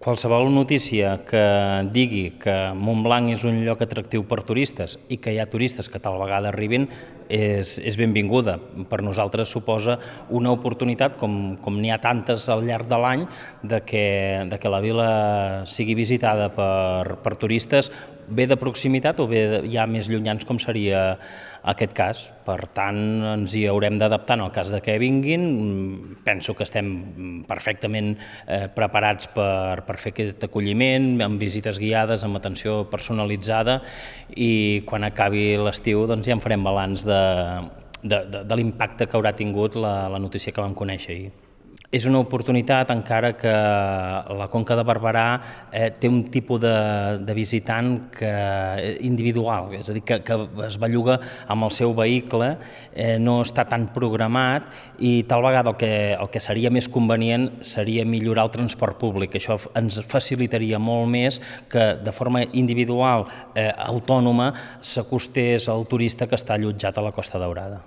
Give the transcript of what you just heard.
Qualsevol notícia que digui que Montblanc és un lloc atractiu per turistes i que hi ha turistes que tal vegada arribin és benvinguda. Per nosaltres suposa una oportunitat, com n'hi ha tantes al llarg de l'any, de que la vila sigui visitada per turistes bé de proximitat o bé ja més llunyans, com seria aquest cas. Per tant, ens hi haurem d'adaptar en el cas de que vinguin. Penso que estem perfectament preparats per fer aquest acolliment, amb visites guiades, amb atenció personalitzada, i quan acabi l'estiu ja en farem balanç de l'impacte que haurà tingut la notícia que vam conèixer ahir. És una oportunitat, encara que la Conca de Barberà té un tipus de visitant individual, és a dir, que es belluga amb el seu vehicle, no està tan programat, i tal vegada el que seria més convenient seria millorar el transport públic. Això ens facilitaria molt més que de forma individual, autònoma, s'acostés al turista que està allotjat a la Costa Daurada.